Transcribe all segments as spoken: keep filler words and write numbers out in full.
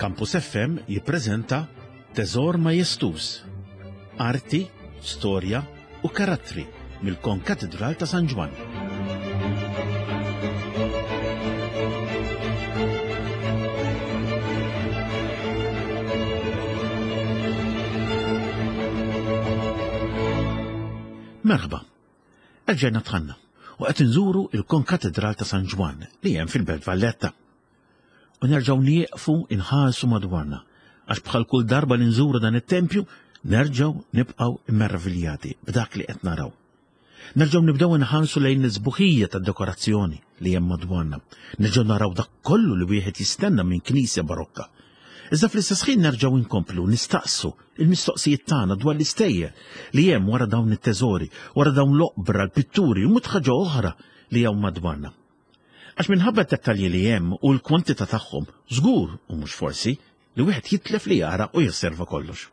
Campus F M jippreżenta Teżor Majestuż. Arti, storja u karattri mill-Konkatedral ta' San Ġwann. Merħba. Erġajna dħalna u qed inżuru il-Konkatedral ta' San Ġwann li hemm fil-Belt Valletta. U nerġgħu nieqfu inħarsu madwarna, għax bħal kull darba li nżuru dan it-tempju nerġgħu nibqgħu immerviljati b'dak li qed naraw. Nerġgħu nibdew inħarsu lejn l-isbuħija tad-dekorazzjoni li hemm madwarna. Nerġgħu naraw dak kollu li wieħed jistenna minn knisja barokka. Iżda fl-istess ħin nerġgħu nkomplu nistaqsu il-mistoqsijiet tagħna dwar l-istejjer li hemm wara dawn it-teżori, wara dawn l-oqbra, l-pitturi u mhux ħaġa oħra li hawn madwarna. Għax minħabba d-dettalji li hemm u l-kwantità tagħhom, żgur u mhux forsi li wieħed jitlef li jara u josserva kollox.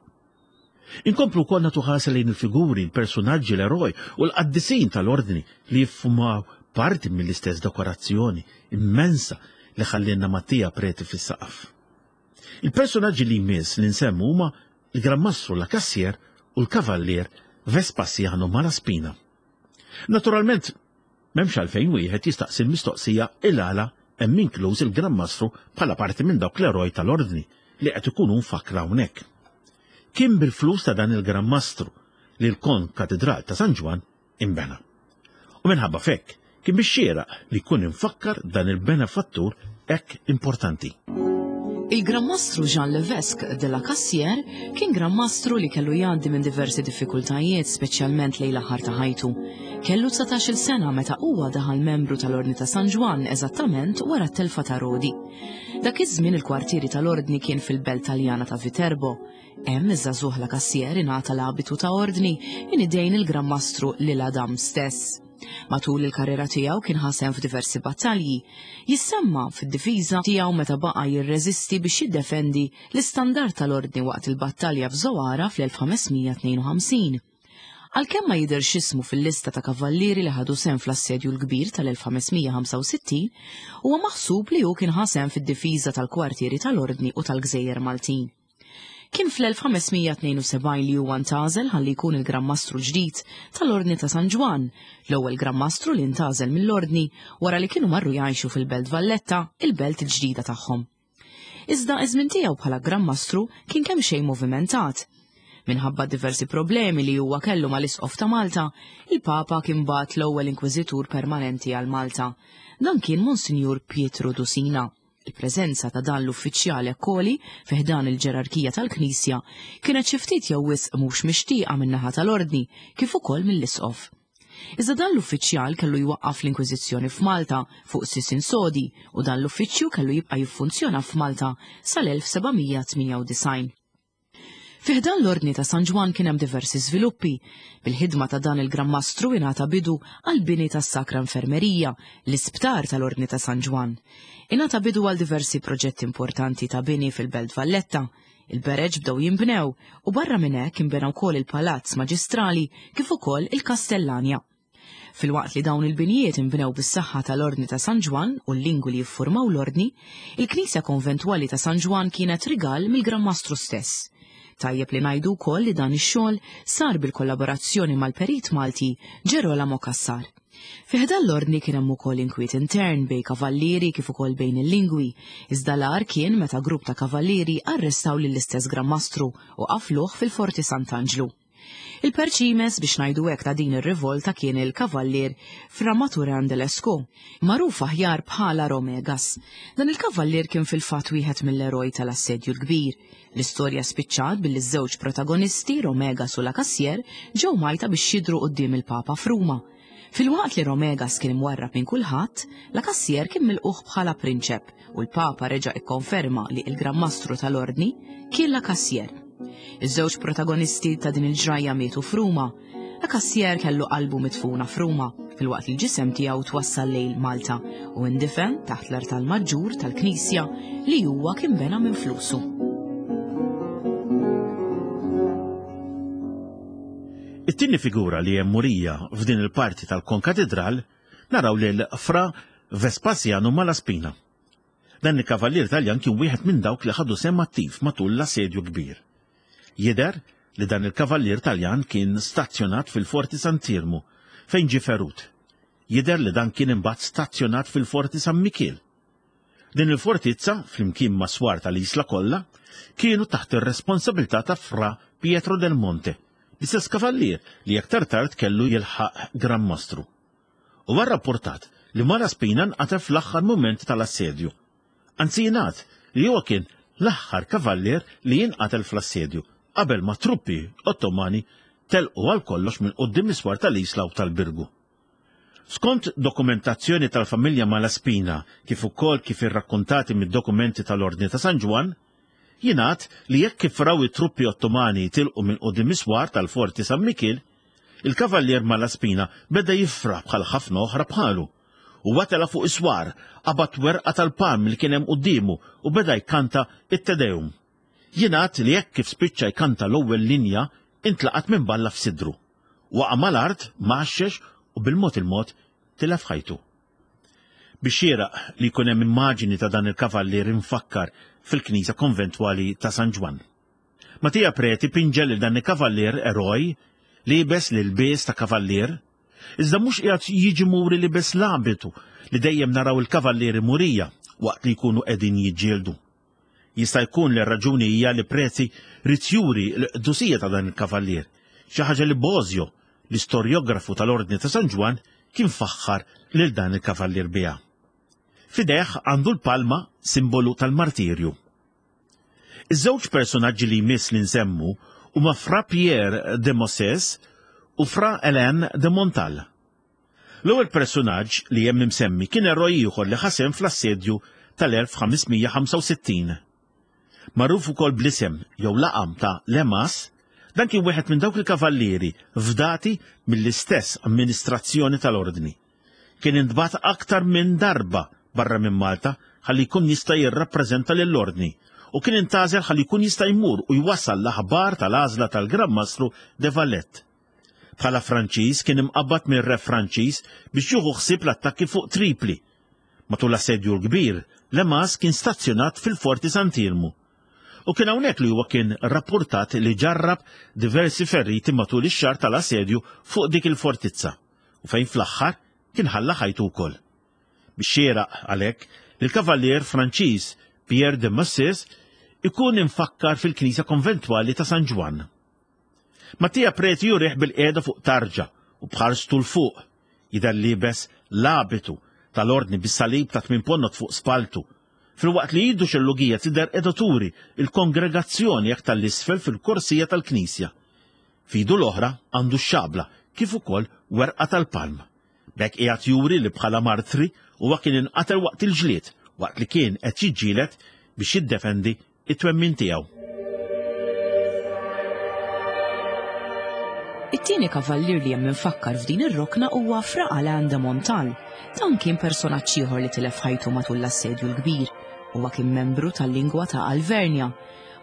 Inkomplu wkoll nagħtu ħarsa lejn il-figuri, il-personaġġi, l-eroj u l-qaddisin tal-ordni li jiffurmaw parti mill-istess dekorazzjoni immensa li ħallielna Mattia Preti fis-saqaf. Il-personaġġi li jmiss li nsemmu huma il-Gran Mastru La Cassier u l-Kavallier Vespasiano Malaspina. Naturalment, m'hemmx għalfejn wieħed jistaqsi l-mistoqsija il-għala hemm inkluż il-Gran Mastru bħala parti minn dawk l-eroj tal-ordni li qed ikunu mfakkra hawnhekk. Kien bil-flus ta' dan il-Gran Mastru li l-Konkatedral ta' San Ġwann imbena. U minħabba f'hekk kien bix-xieraq li jkun imfakkar dan il-benefattur hekk importanti. Il-Gran Mastru Jean Levesque de la Cassière kien Gran Mastru li kellu jgħaddi minn diversi diffikultajiet, speċjalment lejn l-aħħar ta' ħajtu. Kellu dsatax-il sena meta huwa daħal membru tal-Ordni ta' San Ġwann, eżattament wara t-telfa ta' Rodi. Dak iż-żmien il-kwartieri tal-Ordni kien fil-belt Taljana ta' Viterbo. Hemm iż-żagħżugħ La Cassière ingħata l-abitu ta' Ordni minn idejn il-Gran Mastru L'Isle-Adam stess. Matul il-karriera tiegħu kien ħa sehem f'diversi battalji. Jissemma fid-difiża tiegħu meta baqa' jirreżisti biex jiddefendi l-istandard tal-Ordni waqt il-battalja f'Zoara fl-elf ħames mija tnejn u ħamsin. Għalkemm ma jidhirx ismu fil-lista ta' kavallieri li ħadu sehem fl-assedju l-kbir tal-elf ħames mija ħamsa u sittin, huwa maħsub li hu kien ħa sehem fid-difiża tal-kwartieri tal-Ordni u tal-Gżejjer Maltin. Kien fl-elf ħames mija tnejn u sebgħin li huwa ntgħażel ħalli jkun il-Gran Mastru ġdid tal-Ordni ta' San Ġwann, l-ewwel Gran Mastru li ntgħażel mill-Ordni wara li kienu marru jgħixu fil-Belt Valletta, il-belt il-ġdida tagħhom. Iżda iż-żmien tiegħu bħala Gran Mastru kien kemm xejn movimentat. Minħabba diversi problemi li huwa kellu mal-Isqof ta' Malta, il-Papa kien bagħat l-ewwel inkwiżitur permanenti għal Malta. Dan kien Monsinjur Pietro Dusina. Il-preżenza ta' dan l-uffiċjal ekkoli fi ħdan il-ġerarkija tal-Knisja kienet xi ftit jew wisq mhux mixtieqa min-naħa tal-Ordni kif ukoll mill-Isqof. Iżda dan l-uffiċjal kellu jwaqqaf l-Inkwiżizzjoni f'Malta fuq sisin sodi u dan l-uffiċċju kellu jibqa' jiffunzjona f'Malta sal-elf seba' mija tmienja u disgħin. Fi ħdan l-Ordni ta' San Ġwann kien hemm diversi żviluppi. Bil-ħidma ta' dan il-Gran Mastru ingħata bidu għal bini tas-Sakra Infermerija, l-isptar tal-Ordni ta' San Ġwann. Ingħata bidu għal diversi proġetti importanti ta' bini fil-Belt Valletta. Il-bereġ bdew jinbnew u barra minn hekk inbena wkoll il-Palazz Maġistrali kif ukoll il-Kastellanja. Filwaqt li dawn il-binjiet inbnew bis-saħħa tal-Ordni ta' San Ġwann u l-lingwi li jiffurmaw l-Ordni, il-Knisja Konventwali ta' San Ġwann kienet rigal mill-Gran Mastru stess. Tajjeb li ngħidu wkoll li dan ix-xogħol sar bil-kollaborazzjoni mal-perit Malti Gerolamo Cassar. Fi ħdan l-ordni kien hemm ukoll inkwiet intern bejn kavallieri kif ukoll bejn il-lingwi, iżda l-agħar kien meta grupp ta' kavallieri arrestaw lill-istess Gran Mastru u qafluh fil-Forti Sant'Anġlu. Il-perċimes biex ngħidu hekk ta' din ir-rivolta kien il-kavallier Fra Maturan de Lesco, magħruf aħjar bħala Romegas. Dan il-kavallier kien fil-fatt wieħed mill-eroj tal-assedju l-kbir. L-istorja spiċċat billi ż-żewġ protagonisti, Romegas u La Cassière, ġew mgħajta biex jidhru quddiem il-Papa f'Ruma. Filwaqt li Romegas kien imwarrab minn kulħadd, La Cassière kien milqugħ bħala prinċep u l-Papa reġa' ikkonferma li il-Gran Mastru tal-Ordni kien La Cassière. Iż-żewġ protagonisti ta' din il-ġrajja mietu f'Ruma. La Cassière kellu qalbu midfuna f'Ruma, filwaqt li l-ġisem tiegħu twassal lejn Malta u indifen taħt l-artal maġġur tal-Knisja li huwa kien bena minn flusu. It-tieni figura li hemm murija f'din il-parti tal-Konkatedral naraw lil Fra Vespasiano Malaspina. Dan il-kavallier Taljan kien wieħed minn dawk li ħadu sehem attiv matul l-assedju kbir. Jidher li dan il-kavallier Taljan kien stazzjonat fil-Forti Sant'Iermu fejn ġie ferut. Jidher li dan kien imbagħad stazzjonat fil-Forti San Mikiel. Din il-fortizza, flimkien ma' swar tal-isla kollha, kienu taħt ir-responsabilità ta' Fra Pietro del Monte, l-istess kavallier li aktar tard kellu jilħaq Gran Mastru. Huwa rrapportat li Malaspina nqatel fl-aħħar mument tal-assedju. Anzi jingħad li huwa kien l-aħħar kavallier li jinqatel fl-assedju qabel ma truppi Ottomani telqu għal kollox minn quddiem is-swar tal-Isla u tal-Birgu. Skont dokumentazzjoni tal-familja Malaspina, kif ukoll kif irrakkontati mid-dokumenti tal-Ordni ta' San Ġwann, jingħad li jekk kif raw it-truppi Ottomani tilqu minn quddiem is-swar tal-Forti San Mikiel, il-kavallier Malaspina beda jifraħ bħal ħafna oħra bħalu. U tela' fuq is-swar, qabad werqa tal-palm li kien hemm quddiemu u beda jkanta it-Te Deum. Jingħad li jekk kif spiċċa jkanta l-ewwel linja, intlaqat minn balla f'sidru. Waqa' mal-art, mgħaxxex u bil-mod il-mod tilef ħajtu. Biex xieraq li jkun hemm immaġini ta' dan il-kavallier infakkar fil-Knisja Konventwali ta' San Ġwann. Mattia Preti pinġa lil dan il-kavallier eroj liebes l-ilbies ta' kavallier, iżda mhux qiegħed jiġi muri libes l-abitu li dejjem naraw il-kavallieri murija waqt li jkunu qegħdin jiġġieldu. Jista' jkun li r-raġuni hija li Preti ried juri l-qdusija ta' dan il-kavallier, xi ħaġa li Bosio, l-istorjografu tal-Ordni ta' San Ġwann, kien faħħar lil dan il-kavallier biha. F'idejh għandu l-palma, simbolu tal-martirju. Iż-żewġ personaġġi li jmiss li nsemmu huma Fra Pierre de Mosses u Fra Hélène de Montal. L-ewwel personaġġ li hemm imsemmi kien eroj ieħor li ħa sehem fl-assedju tal-elf ħames mija ħamsa u sittin. Magħruf ukoll bl-isem jew laqam ta' Lemas, dan kien wieħed minn dawk il-kavallieri fdati mill-istess amministrazzjoni tal-ordni. Kien intbagħat aktar minn darba barra minn Malta ħalli jkun jista' jirrappreżenta lill-ordni u kien intgħażel ħalli jkun jista' jmur u jwassal l-aħbar tal-għażla tal-Gran Mastru de Valette. Bħala Franċiż kien imqabbad minn re Franċiż biex jieħu ħsieb l-attakki fuq Tripli. Matul l-assedju l-kbir, Lemas kien stazzjonat fil-Forti Sant'Iermu. U kien hawnhekk li huwa kien rapportat li ġarrab diversi ferriti matul ix-xahar tal-assedju fuq dik il-fortizza u fejn fl-aħħar kien ħalla ħajtu wkoll. Biex xieraq għalhekk li l-kavallier Franċiż Pierre de Mosses ikun infakkar fil-Knisja Konventwali ta' San Ġwann. Mattia Preti jurih bil-qiegħda fuq tarġa u bħarstu l fuq, jidher liebes l-abitu tal-ordni bis-salib ta' tmien ponnot fuq spaltu, filwaqt li idu xellugija tidher qiegħda turi il-kongregazzjoni aktar l-isfel fil-korsija tal-Knisja. F'idu l-oħra għandu x-xabla kif ukoll werqa tal-palm. B'hekk qiegħed juri li bħala martri huwa kien inqatel waqt il-ġlied, waqt li kien qed jiġġieled biex jiddefendi it-twemmin tiegħu. It-tieni kavallier li hemm infakkar f'din ir-rokna huwa Fra Alain de Montal. Dan kien personaġġ ieħor li tilef ħajtu matul l-assedju l-kbir. Huwa kien membru tal-lingwa ta' Alvernja.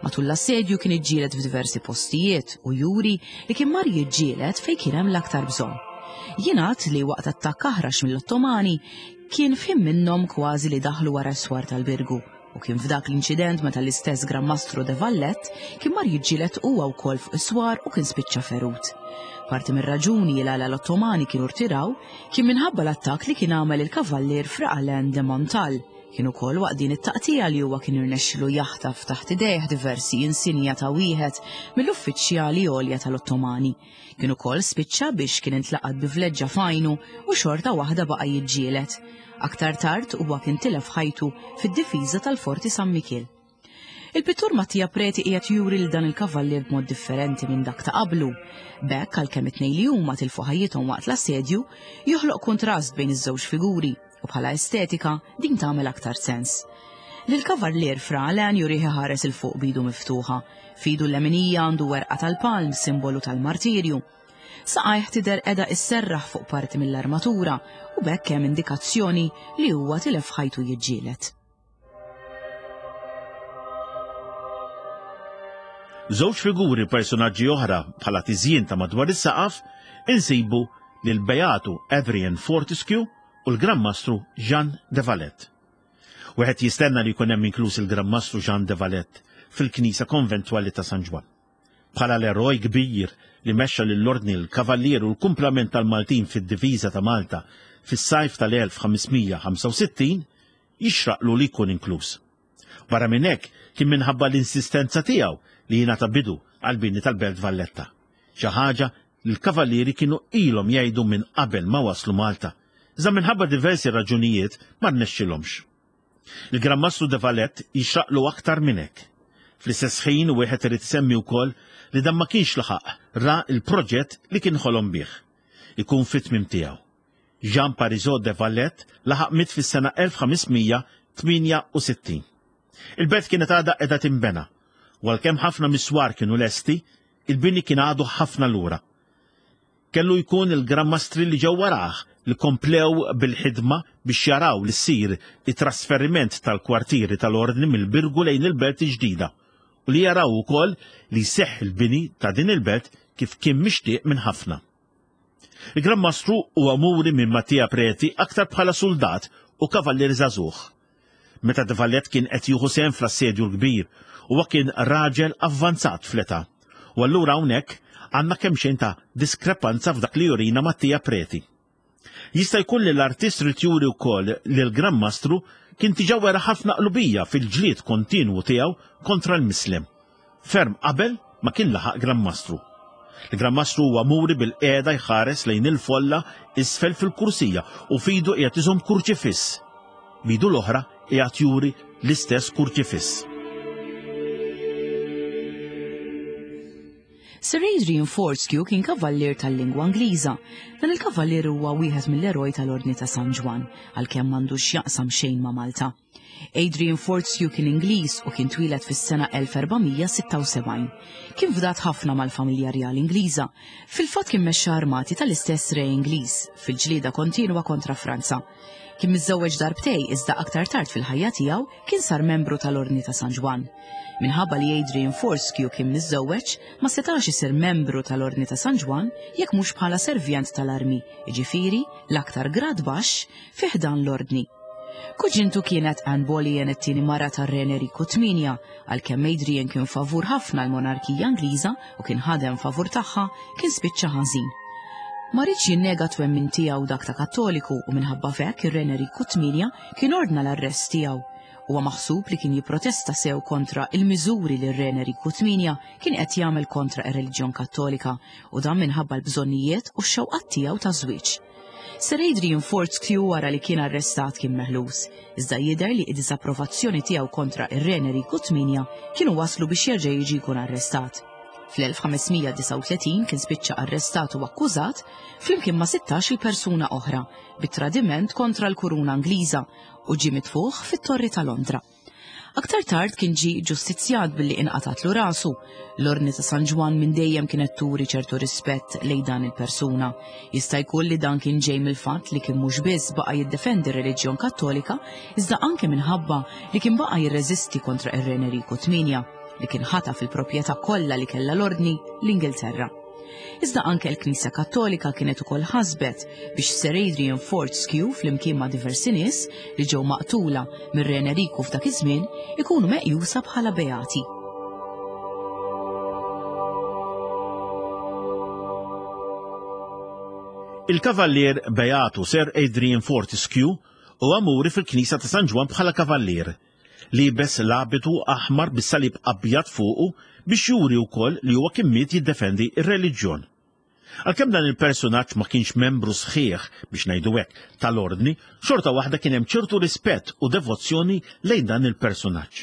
Matul l-assedju kien iġġieled f'diversi postijiet u juri li kien mar jiġġieled fejn kien hemm l-aktar bżonn. Jingħad li waqt attakk aħrax mill-Ottomani kien f'ħin minnhom kważi li daħlu wara s-swar tal-Birgu. U kien f'dak l-inċident meta l-istess Gran Mastru de Valette kien mar jiġġieled huwa wkoll fuq is-swar u kien spiċċa ferut. Parti mir-raġuni li għala l-Ottomani kienu rtiraw kien minħabba l-attakk li kien għamel il-kavallier Fra Alain de Montal. Kien ukoll waqt din it-taqtija li huwa kien irnexxilu jaħtaf taħt idejh diversi insinja ta' wieħed mill-uffiċjali għolja tal-Ottomani. Kien ukoll spiċċa biex kien intlaqat bi vleġġa f'għajnu u xorta waħda baqa' jiġġieled. Aktar tard huwa kien tilef ħajtu fid-difiża tal-Forti San Mikiel. Il-pittur Mattia Preti qiegħed juri lil dan il-kavallier b'mod differenti minn dak ta' qablu. B'hekk għalkemm it-tnejn li huma tilfu ħajjithom waqt l-assedju, joħloq kontrast bejn iż-żewġ figuri u bħala estetika din tagħmel aktar sens. Lil-kavallier Fra Alain jurih iħares il fuq bidu miftuħa. F'idu l-leminija għandu werqa tal-palm, simbolu tal-martirju. Saqajh tidher qiegħda isserraħ fuq parti mill-armatura u b'hekk hemm indikazzjoni li huwa tilef ħajtu jiġġieled. Żewġ figuri personaġġi oħra bħala tiżjien ta' madwar is-saqaf insibu lil Beatu Adrian Fortescue u l-Gran Mastru Jean de Valette. Wieħed jistenna li jkun hemm inkluż il-Gran Mastru Jean de Valette fil-Knisja Konventwali ta' San Ġwann. Bħala l-eroj kbir li mexxa lill-Ordni l-Kavallier u l-kumplament tal-Maltin fid-diviża ta' Malta fis-sajf tal-elf ħames mija ħamsa u sittin, jixraqlu li jkun inkluż. Barra minn hekk kien minħabba l-insistenza tiegħu li jingħata bidu għall-bini tal-Belt Valletta. Xi ħaġa li l-kavallieri kienu ilhom jgħidu minn qabel ma waslu Malta, iżda minħabba diversi raġunijiet ma rnexxilhomx. Il-Gran Mastru de Valette jixraqlu aktar minn hekk. Fl-istess ħin wieħed irid isemmi wkoll li dan ma kienx laħaq ra l-proġett li kien ħolom bih. Ikun fit-tmiem tiegħu. Jean Parisot de Valette laħaq miet fis-sena elf ħames mija tmienja u sittin. Il-belt kienet għadha qiegħda tinbena, u għalkemm ħafna miswar kienu lesti, il-bini kien għadu ħafna lura. Kellu jkun il-Gran Mastri li ġew warah li komplew bil-ħidma biex jaraw li ssir it-trasferiment tal-kwartieri tal-ordni mill-Birgu lejn il-belt ġdida u li jaraw ukoll li jseħħ il-bini ta' din il-belt kif kien mixtieq minn ħafna. Il-Gran Mastru huwa muri minn Mattia Preti aktar bħala soldat u kavallier żagħżugħ. Meta de Valette kien qed jieħu sehem fl-assedju l-kbir, huwa kien raġel avvanzat fl-età. U allura hawnhekk għandna kemm xejn ta' diskrepanza f'dak li jurina Mattia Preti. Jista' jkun li l-artist rid juri wkoll li l-Gran Mastru kien diġà wera ħafna qlubija fil-ġlied kontinwu tiegħu kontra l-Mislem, ferm qabel ma kien laħaq Gran Mastru. Il-Gran Mastru huwa muri bil-qiegħda jħares lejn il-folla isfel fil-kursija u fidu qiegħed iżomm kurċifiss. Bidu l-oħra qiegħed juri l-istess kurċifiss. Sir Adrian Fortescue kien kavallier tal-lingwa Ingliża. Dan il-kavallier huwa wieħed mill-eroj tal-Ordni ta' San Ġwann, għalkemm m'għandux x'jaqsam xejn ma' Malta. Adrian Fortescue kien Ingliż u kien twieled fis-sena elf erba' mija sitta u sebgħin. Kien fdat ħafna mal-familja rjali Ingliża. Fil-fatt kien mexxa armati tal-istess re Ingliż fil-ġlieda kontinwa kontra Franza. Kien miżżewweġ darbtej iżda aktar tard fil-ħajja tiegħu kien sar membru tal-Ordni ta' San Ġwann. Minħabba li Adrian Fortescue kien miżżewweġ, ma setax isir membru tal-Ordni ta' San Ġwann jekk mhux bħala servjent tal-armi, jiġifieri l-aktar grad baxx fi ħdan l-Ordni. Kuġintu kienet Anne Boleyn, it-tieni mara tar-Re Enriku tmienja, għalkemm Adrian kien favur ħafna l-monarkija Ingliża u kien ħadem favur tagħha, kien spiċċa ħażin. Ma riedx jinnega twemmin tiegħu dak ta' Kattoliku u minħabba f'hekk ir-Re Enriku tmienja kien ordna l-arrest tiegħu. Huwa maħsub li kien jipprotesta sew kontra il-miżuri li r-Re Enriku tmienja kien qed jagħmel kontra ir-reliġjon Kattolika u dan minħabba l-bżonnijiet u x-xewqat tiegħu ta' żwieġ. Sir Adrian Fortescue wara li kien arrestat kien meħlus, iżda jidher li id-disapprovazzjoni tiegħu kontra ir-Re Enriku tmienja kienu waslu biex jerġa' jiġi jkun arrestat. Fl-elf ħames mija disgħa u tletin kien spiċċa arrestat u akkużat flimkien ma' sittax-il persuna oħra bit-tradiment kontra l-kuruna Ingliża u ġie mitfuħ fit-Torri ta' Londra. Aktar tard kien ġie ġustizzjat billi inqatatlu rasu. L-Ordni ta' San Ġwann minn dejjem kienet turi ċertu rispett lejn dan il-persuna. Jista' jkun li dan kien ġej mill-fatt li kien mhux biss baqa' jiddefendi r-reliġjon Kattolika, iżda anke minħabba li kien baqa' jirreżisti kontra ir-Re Enriku tmienja, li kien ħataf il-proprjetà kollha li kellha l-Ordni l-Ingilterra. Iżda anke l-Knisja Kattolika kienet ukoll ħasbet biex Sir Adrian Fortescue flimkien ma' diversi nies li ġew maqtula mir-Re Enriku f'dak iż-żmien ikunu meqjusa bħala beati. Il-kavallier Beatu Sir Adrian Fortescue huwa muri fil-Knisja ta' San Ġwann bħala kavallier, libes l-abitu aħmar bis-salib abjad fuqu biex juri wkoll li huwa kien miet jiddefendi r-reliġjon. Għalkemm dan il-personaġġ ma kienx membru sħiħ biex ngħidu hekk tal-ordni, xorta waħda kien hemm ċertu rispett u devozzjoni lejn dan il-personaġġ.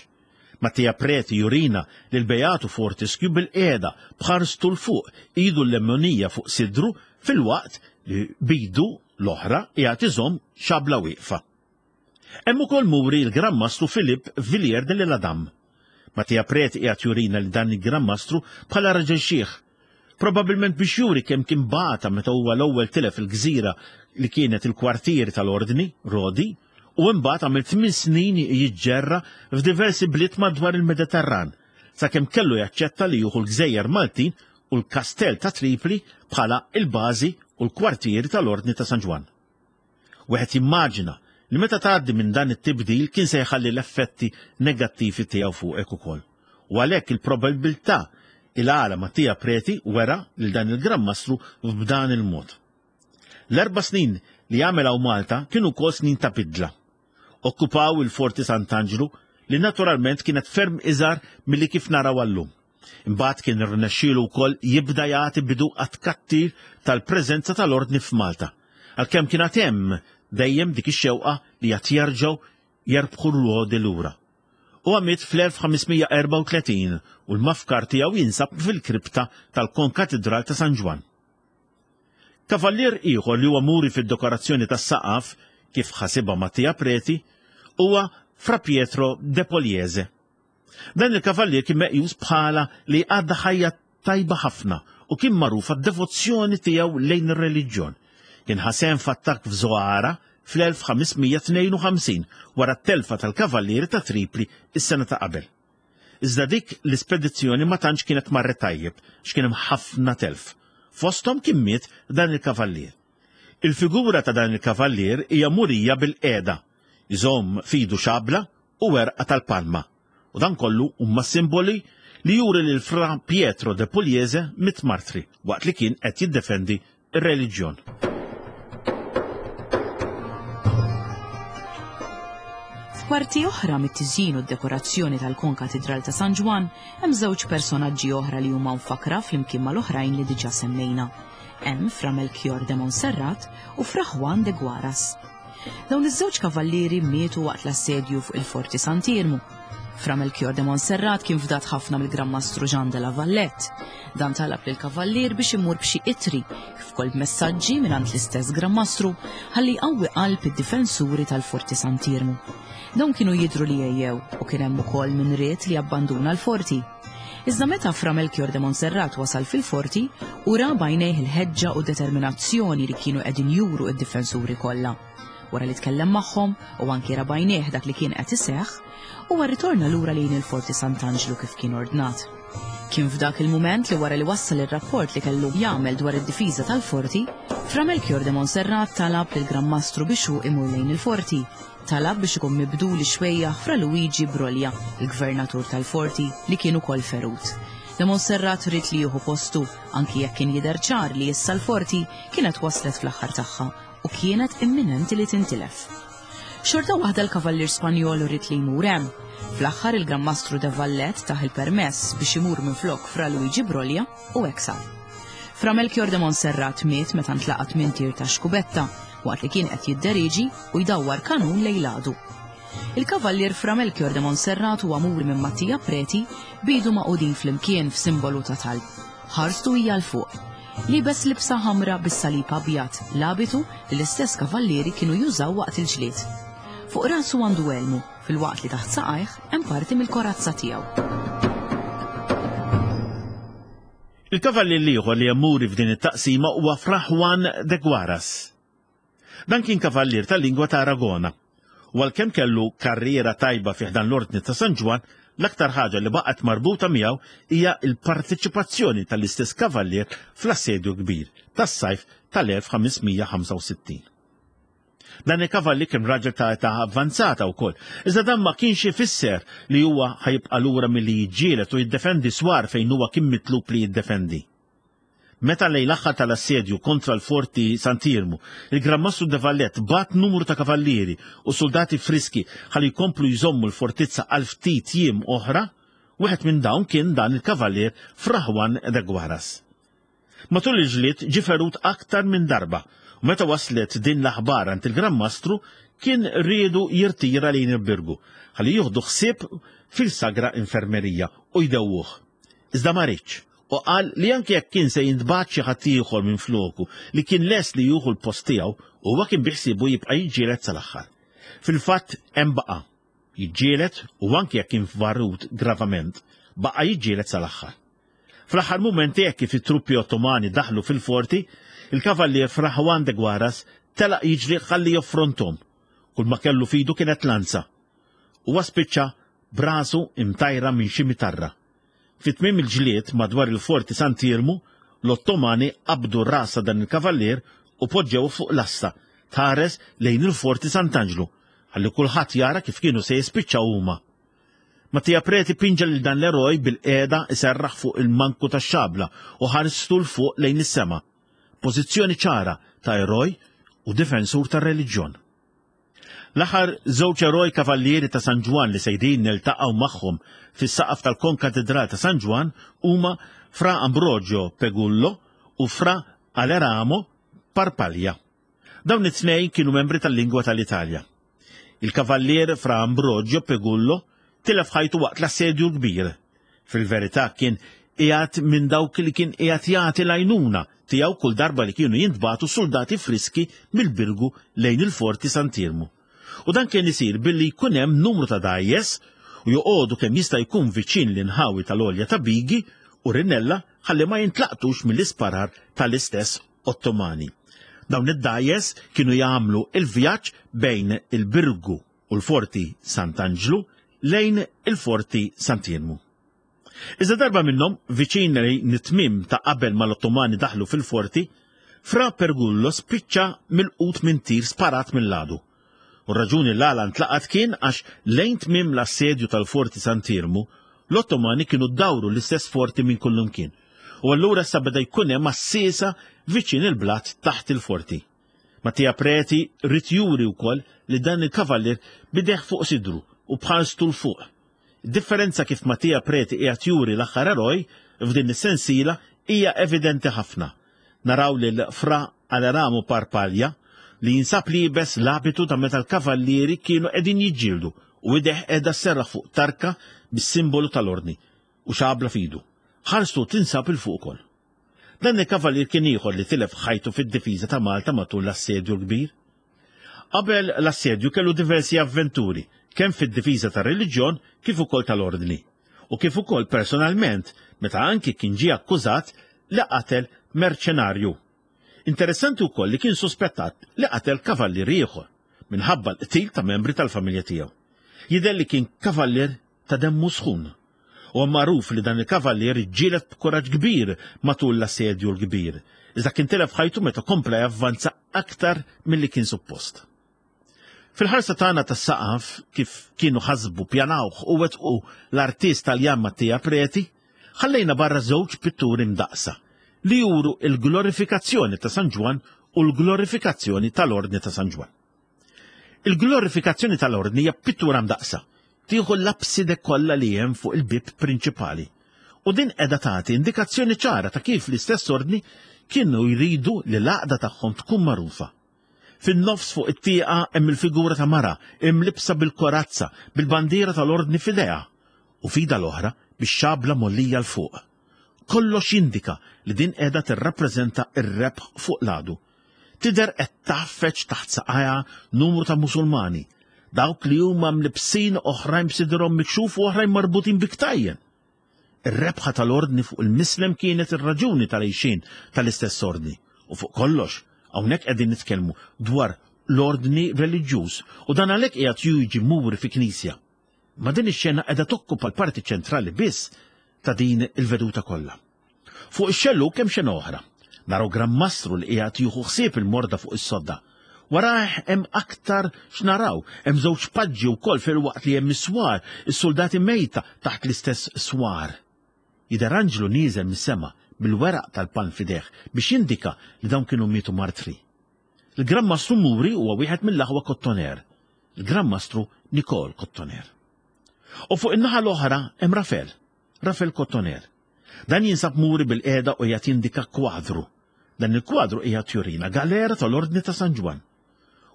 Mattia Preti jurina li l-Beatu Fortescue bil-qiegħda b'ħarstu l fuq idu l-lemmonija fuq sidru fil-waqt li bidu l-oħra qiegħed iżomm xabla wieqfa. Hemm ukoll muri l-Gran Mastru Philippe Villiers de l'Isle-Adam. Mattia Preti qiegħed jurina li dan il-Gran Mastru bħala raġel xiħ, probabbilment biex juri kemm kien bata meta huwa l-ewwel tilef il-gżira li kienet il-kwartieri tal-Ordni, Rodi, u imbagħad għamel tmien snin jiġġerra f'diversi bliet madwar il-Mediterran, sakemm kellu jaċċetta li jieħu l-Gżejjer Maltin u l-Kastell ta' Tripli bħala il-bażi u l-kwartieri tal-Ordni ta' San Ġwann. Wieħed jimmaġina li meta tgħaddi minn dan it-tibdil kien se jħalli l-effetti negattivi tiegħu fuqek ukoll. U għalhekk il-probabilità il-għala Mattia Preti wera lil dan il-Gran Mastru f'dan il-mod. L-erba' snin li għamel hawn Malta kienu wkoll snin ta' bidla. Okkupaw il-Forti Sant'Anġlu li naturalment kienet ferm iżgħar milli kif naraw għallum. Imbagħad kien irnexxielu wkoll jibda jagħti bidu għat-tkattir tal-preżenza tal-ordni f'Malta. Għalkemm kien għad hemm dejjem dik ix-xewqa li qed jerġgħu jerbħu l-lodi lura. Huwa miet fl-elf ħames mija erbgħa u tletin u l-mafkar tiegħu jinsab fil-kripta tal-Konkatedral ta' San Ġwann. Kavallier ieħor li huwa muri fid-dekorazzjoni tas-saqaf kif ħasibha Mattia Preti huwa Fra Pietro de Poliese. Dan il-kavallier kien meqjus bħala li għadda ħajja tajba ħafna u kien magħruf għad-devozzjoni tiegħu lejn ir-reliġjon. Kien ħa sehem f'attakk f'Zoara fl-elf ħames mija tnejn u ħamsin wara t-telfa tal-kavallieri ta' Tripli is-sena ta' qabel. Iżda dik l-ispedizzjoni ma tantx kienet marret tajjeb, x'kien hemm ħafna telf. Fosthom kien miet dan il-kavallier. Il-figura ta' dan il-kavallier hija murija bil-qiegħda, iżomm fidu xabla u werqa tal-palma. U dan kollu huma simboli li juri lil Fra Pietro de Pugliese miet martri waqt li kien qed jiddefendi ir-reliġjon. F'parti oħra mit-tiżjin u d-dekorazzjoni tal-Konkatedral ta' San Ġwann hemm żewġ personaġġi oħra li huma mfakra flimkien mal-oħrajn li diġà semmejna. Hemm Fra Melchior de Montserrat u Fra Juan de Guaras. Dawn iż-żewġ kavallieri mietu waqt l-assedju fuq il-Forti Sant'Iermu. Fra Melchior de Montserrat kien fdat ħafna mill-Gran Mastru Jean de la Valette. Dan talab lil kavallier biex imur b'xi ittri kif ukoll b'messaġġi mingħand l-istess Gran Mastru ħalli jqawwi qalb id-difensuri tal-Forti Sant'Iermu. Dawn kienu jidhru li ejjew u kien hemm ukoll min ried li abbanduna l-forti. Iżda meta Fra Melchior de Montserrat wasal fil-forti, u ra b'għajnejh il-ħeġġa u determinazzjoni li kienu qegħdin juru id-difensuri kollha. Wara li tkellem magħhom u anki ra b'għajnejh dak li kien qed iseħħ, huwa rritorna lura lejn il-Forti Sant'Anġlu kif kien ordnat. Kien f'dak il-mument li wara li wassal ir-rapport li kellu jagħmel dwar id-difiża tal-forti, Fra Melchior de Montserrat talab lil Gran Mastru biex hu imur lejn il-forti. Talab biex ikun mibdul ix-xwejjaħ Fra Luigi Broglia, il-gvernatur tal-forti, li kien ukoll ferut. De Montserrat ried li jieħu postu, anki jekk kien jidher ċar li issa l-forti kienet waslet fl-aħħar tagħha u kienet imminenti li tintilef. Xorta waħda l-kavallier Spanjol ried li jmur hemm. Fl-aħħar il-Gran Mastru de Valette tah il-permess biex imur minflok Fra Luigi Broglia u hekk sar. Fra Melchior de Montserrat miet meta ntlaqat minn tir ta' xkubetta waqt li kien qed jidderiġi u jdawwar kanun lejn l-għadu. Il-kavallier Fra Melchior de Montserrat huwa muri minn Mattia Preti bidu maqudin flimkien f'simbolu ta' talb. Ħarstu hija 'l fuq. Libes libsa ħamra bis-salib abjad, l-abitu li l-istess kavallieri kienu jużaw waqt il-ġlied. Fuq rasu għandu elmu, filwaqt li taħt saqajh hemm parti mill-korazza tiegħu. Il-kavallier l-ieħor li hemm muri f'din it-taqsima huwa Fra Juan de Guaras. Dan kien kavallier tal-lingwa ta' Aragona. U għalkemm kellu karriera tajba fi ħdan l-Ordni ta' San Ġwann, l-aktar ħaġa li baqgħet marbuta miegħu hija l-partiċipazzjoni tal-istess kavallier fl-assedju kbir tas-sajf tal-elf ħames mija ħamsa u sittin. Dan il-kavalli kien raġel ta' età avvanzata wkoll, iżda dan ma kienx ifisser li huwa ħajibqa' lura milli jiġġieled u jiddefendi swar fejn huwa kien mitlub li jiddefendi. Meta lejn l-aħħar tal-assedju kontra l-Forti Sant'Iermu, il-Gran Mastru de Valette bat numru ta' kavallieri u soldati friski ħalli jkomplu jżommu l-fortizza għal ftit jiem oħra, wieħed minn dawn kien dan il-kavallier Fra Juan de Guaras. Matul il-ġlied ġie ferut aktar minn darba, u meta waslet din l-aħbar għand il-Gran Mastru kien riedu jirtira lejn il-Birgu, ħalli jieħdu ħsieb fil-Sagra Infermerija u jdewwuh. Iżda ma riedx, u qal li anke jekk kien se jintbagħat xi ħadd ieħor minn floku li kien lest li jieħu l-post tiegħu, huwa kien biħsiebu jibqa' jiġġieled sal-aħħar. Fil-fatt hemm baqa' jiġġieled u anke jekk kien varut gravament, baqa' jiġġieled sal-aħħar. Fl-aħħar mumenti hekk kif it-truppi Ottomani daħlu fil-forti, il-kavallier Fra Juan de Guaras telaq jiġri ħalli joffrontom. Kull ma kellu fidu kienet lanza. Huwa spiċċa brasu imtajra minn xi mitarra. Fi tmiem il-ġlied madwar il-forti Sant'Iermu, l-Ottomani qabdu rasa dan il-kavallier u poġġew fuq lasta tħares lejn il-forti Sant'Anġlu ħalli kulħadd jara kif kienu se jispiċċaw huma. Mattia Preti pinġa lil dan l-eroj bil-qiegħda iserraħ fuq il-manku tax-xabla u ħarstu 'l fuq lejn is-sema. Pożizzjoni ċara ta' eroj u difensur tar-reliġjon. L-aħħar żewġ eroj kavallieri ta' San Ġwann li sejrin niltaqgħu magħhom fis-saqaf tal-Konkatedral ta' San Ġwann huma Fra Ambrogio Pegullo u Fra Aleramo Parpaglia. Dawn it-tnejn kienu membri tal-lingwa tal-Italja. Il-kavallier Fra Ambrogio Pegullo tilef ħajtu waqt l-assedju l-kbir. Fil-verità kien qiegħed minn dawk li kien qiegħed jagħti l-għajnuna tiegħu kull darba li kienu jintbagħtu soldati friski mill-Birgu lejn il-Forti Sant'Iermu. U dan kien isir billi jkun hemm numru ta' dgħajjes u joqogħdu kemm jista' jkun viċin l-inħawi tal-għolja ta' Bigi u Rinella ħalli ma jintlaqtux mill-isparar tal-istess Ottomani. Dawn id-dgħajjes kienu jagħmlu il-vjaġġ bejn il-Birgu u l-Forti Sant'Anġlu lejn il-Forti Sant'Iermu. Iżda darba minnhom, viċin lejn it-tmiem ta' qabel mal-Ottomani daħlu fil-forti, Fra Pergullo spiċċa milqut minn tir sparat mill-għadu. U r-raġuni l-għala ntlaqat kien għax lejn tmiem l-assedju tal-Forti Sant'Iermu, l-Ottomani kienu dawru l-istess forti minn kullimkien. U allura issa beda jkun hemm għassiesa viċin il-blat taħt il-forti. Mattia Preti ried juri wkoll li dan il-kavallier bideh fuq sidru u bħalstu 'l fuq. Id-differenza kif Mattia Preti qiegħed juri l-aħħar eroj f'din is-sensiela hija evidenti ħafna. Naraw lil Fra Aleramo Parpaglia li jinsab liebes l-abitu ta' meta l-kavallieri kienu qegħdin jiġġieldu u ideh qiegħda sserraħ fuq tarka bis-simbolu tal-ordni u xabla f'idu. Ħarstu tinsab 'il fuq ukoll. Dan il-kavallier kien ieħor li tilef ħajtu fid-difiża ta' Malta matul l-assedju l-kbir. Qabel l-assedju kellu diversi avventuri, kemm fid-difiża tar-reliġjon kif ukoll tal-ordni, u kif ukoll personalment meta anki kien ġie akkużat li qatel merċenarju. Interessanti wkoll li kien suspettat li qatel kavallier ieħor minħabba l-qtil ta' membri tal-familja tiegħu. Jidher li kien kavallier ta' demmu sħun. U magħruf li dan il-kavallier iġġieled b'kuraġġ kbir matul l-assedju l-kbir, iżda kien tilef ħajtu meta kompla javvanza aktar milli kien suppost. Fil-ħarsa tagħna tas-saqaf, kif kienu ħasbu, pjanawh u wettqu l-artist Taljan Mattia Preti, ħallejna barra żewġ pitturi mdaqsa li juru il-glorifikazzjoni ta' San Ġwann u l-glorifikazzjoni tal-Ordni ta' San Ġwann. Il-glorifikazzjoni tal-Ordni hija pittura mdaqsa, tieħu l-abside kollha li hemm fuq il-bieb prinċipali. U din qiegħda tagħti indikazzjoni ċara ta' kif l-istess ordni kienu jridu li l-għaqda tagħhom tkun magħrufa. Fin-nofs fuq it-tieqa hemm il-figura ta' mara imlibsa bil-korazza, bil-bandiera tal-ordni f'idejha, u f'idha l-oħra bix-xabla mgħollija 'l fuq. Kollox jindika li din qiegħda tirrappreżenta r-rebħ fuq l-għadu. Tidher qed tgħaffeġ taħt saqajha numru ta' Musulmani, dawk li huma mlibsin oħrajn b'sidrhom mikxuf u oħrajn marbutin bi ktajjen. Ir-rebħa tal-ordni fuq il-mislem kienet ir-raġuni tal-għixien tal-istess ordni. U fuq kollox, hawnhekk qegħdin nitkellmu dwar l-ordni reliġjuż u dan għalhekk qiegħed jiġi muri fi knisja. Ma din ix-xena qiegħda tokkupa l-parti ċentrali biss ta' din il-veduta kollha. Fuq ix-xellug hemm xena oħra. Naraw Gran Mastru li qiegħed jieħu ħsieb il-morda fuq is-sodda. Warah hemm aktar x'naraw, hemm żewġ paġġi wkoll filwaqt li hemm is-swar, is-soldati mejta taħt l-istess swar. Jidher anġlu nieżel mis-sema bil-weraq tal-palm f'idejh biex jindika li dawn kienu mietu martri. Il-Gran Mastru Muri huwa wieħed mill-aħwa Kottoner, il-Gran Mastru Nikol Kottoner. U fuq in-naħa l-oħra hemm Rafel, Rafel Kottoner. Dan jinsab muri bil-qiegħda u qiegħed jindika kwadru. Dan il-kwadru qiegħed jurina galera tal-Ordni ta' San Ġwann.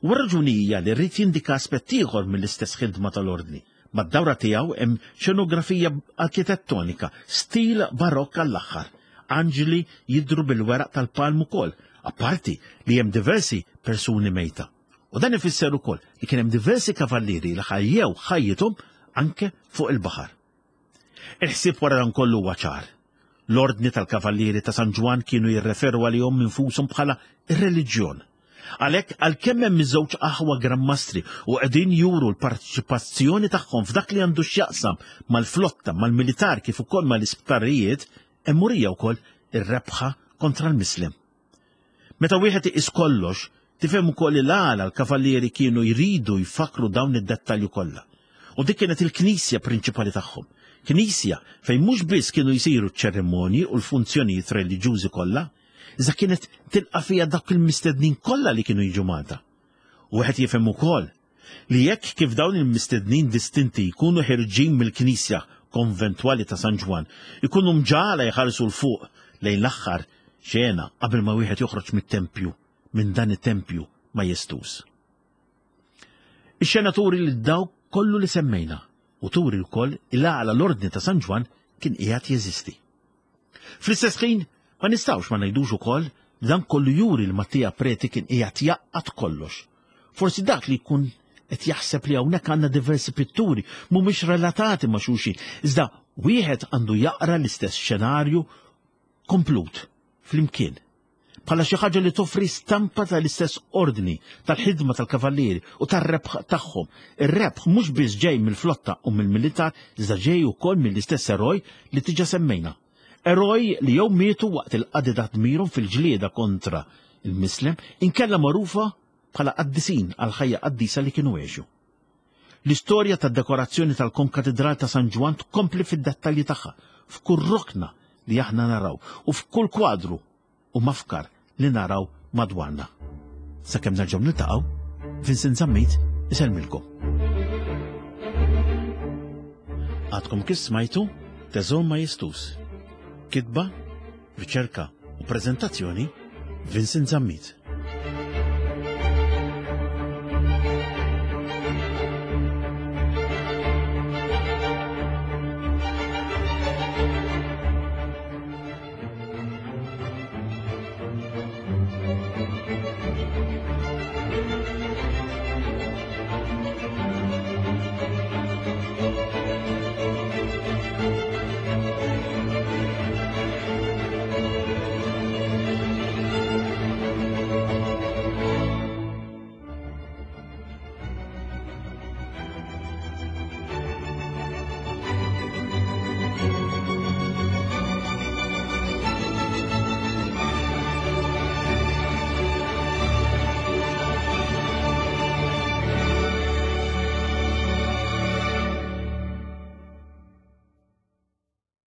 U r-raġuni hija li rrid jindika aspett ieħor mill-istess ħidma tal-Ordni. Mad-dawra tiegħu hemm xenografija arkitettonika, stil barokk għall-aħħar. Anġli jidhru bil-weraq tal-palm ukoll, apparti li hemm diversi persuni mejta. U dan ifisser ukoll li kien hemm diversi kavallieri li ħajjew ħajjithom anke fuq il-baħar. Il-ħsieb wara dan kollu huwa ċar. L-Ordni tal-Kavallieri ta' San Ġwann kienu jirreferu għalihom infushom bħala ir-reliġjon. Għalhekk għalkemm hemm iż-żewġ aħwa Gran Mastri u qegħdin juru l-parteċipazzjoni tagħhom f'dak li għandu x'jaqsam mal-flotta, mal-militar kif ukoll mal-isptarijiet, hemm murija wkoll ir-rebħa kontra l-Mislem. Meta wieħed iqis kollox, Tifhem ukoll il-għala l-kavallieri kienu jridu jfakru dawn id-dettalji kollha. U dik kienet il-knisja prinċipali tagħhom. Knisja fejn mhux biss kienu jsiru ċ-ċerimonji u l-funzjonijiet reliġjużi kollha, iżda kienet tilqa' fiha dak il-mistednin kollha li kienu jiġu Malta. U wieħed jifhem ukoll li jekk kif dawn il-mistednin distinti jkunu ħerġin mill-knisja konventwali ta' San Ġwann, ikunu mġagħla jħarsu 'l fuq lejn l-aħħar xena qabel ma wieħed joħroġ mit-tempju, minn dan it-tempju majestuż. Ix-xena turi li dawk kollu li semmejna u turi wkoll il-għala l-ordni ta' San Ġwann kien qiegħed jeżisti. Fl-istess ħin ma nistgħux ma ngħidux ukoll li dan kollu juri li Mattia Preti kien qiegħed jgħaqqad kollox. Forsi dak li jkun qed jaħseb li hawnhekk għandna diversi pitturi mhumiex relatati ma' xulxin, iżda wieħed għandu jaqra l-istess xenarju komplut flimkien bħala xi ħaġa li toffri stampa tal-istess ordni tal-ħidma tal-kavallieri u tar-rebħ tagħhom. Ir-rebħ mhux biss ġej mill-flotta u mill-militar, iżda ġej ukoll mill-istess eroj li diġà semmejna. Eroj li jew mietu waqt il-qadi ta' dmirhom fil-ġlieda kontra il-Mislem, inkella magħrufa bħala qaddisin għal ħajja qaddisa li kienu għexu. L-istorja tad-dekorazzjoni tal-Konkatedral ta' San Ġwann tkompli fid-dettalji tagħha f'kull rokna li aħna naraw u f'kull kwadru u mafkar li naraw madwarna. Sakemm nerġgħu niltaqgħu, Vincent Zammit isellmilkom. Għadkom kif smajtu Teżor Majestuż. Kitba, riċerka u preżentazzjoni Vincent Zammit.